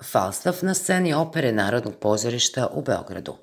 Falstaff na sceni opere Narodnog pozorišta u Beogradu.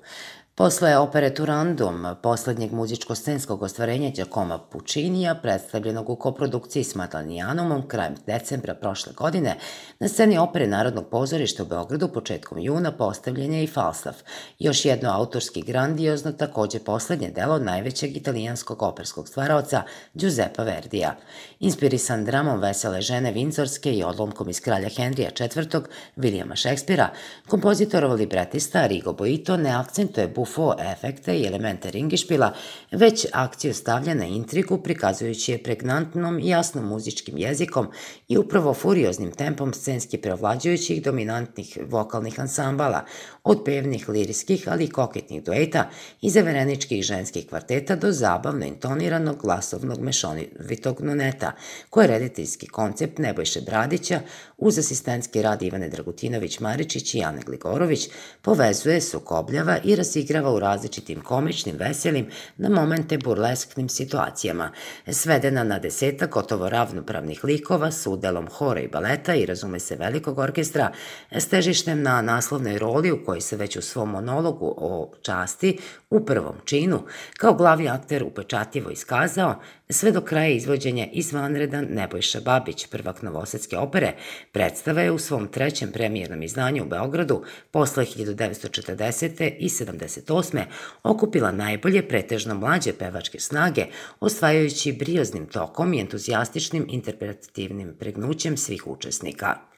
Posle opere Turandum, poslednjeg muzičko-scenskog ostvarenja Giacomo Puccinija, predstavljenog u koprodukciji s Madlenijanumom krajem decembra prošle godine, na sceni opere Narodnog pozorišta u Beogradu početkom juna postavljen je i Falstaff, još jedno autorski grandiozno, takođe poslednje delo najvećeg italijanskog operskog stvaraoca Giuseppa Verdija. Inspirisan dramom Vesele žene Vindzorske i odlomkom iz Kralja Henrija IV. Williama Shakespearea, kompozitorov libretista Arrigo Boito ne akcentuje bufo efekte i elemente ringišpila, već akciju stavlja na intrigu prikazujući je pregnantnom i jasnom muzičkim jezikom i upravo furioznim tempom scenski preovlađujućih dominantnih vokalnih ansambala, od pevnih, lirijskih, ali i koketnih dueta i zavereničkih ženskih kvarteta do zabavno intoniranog glasovnog mešovitog noneta, koje je rediteljski koncept Nebojše Bradića uz asistentski rad Ivane Dragutinović-Maričić i Ane Gligorović povezuje, sukobljava i razigrava u različitim komičnim, veselim, na momente burlesknim situacijama, svedena na 10 gotovo ravnopravnih likova s udelom hora i baleta i, razume se, velikog orkestra, s težištem na naslovnoj roli u kojoj se već u svom monologu o časti u prvom činu kao glavni akter upečatljivo iskazao, sve do kraja izvođenja izvanredan Nebojša Babić, prvak novosadske opere, predstava je u svom trećem premijernom izdanju u Beogradu posle 1940. i 78. okupila najbolje, pretežno mlađe pevačke snage, osvajajući brioznim tokom i entuzijastičnim interpretativnim pregnućem svih učesnika.